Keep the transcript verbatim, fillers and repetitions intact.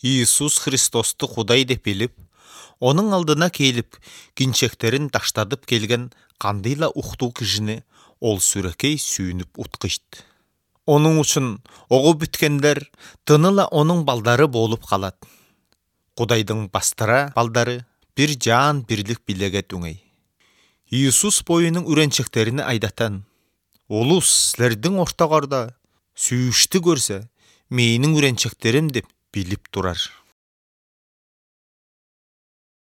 Иисус Христосту Кудай деп билип, onun алдына келип, кинчектерин таштадып келген кандайла уктуу кишини ол сүрөкей сүйүнүп уткуйт. Onun үчүн огу бүткендер тыныла onun балдары болуп калат. Кудайдын бастыра балдары бир жаан бирлик билеге түңөй. Иисус боюнун үренчектерини айдатан: улус силердин ортогордо сүйүштү көрсө, менин үренчектерим деп билип турар.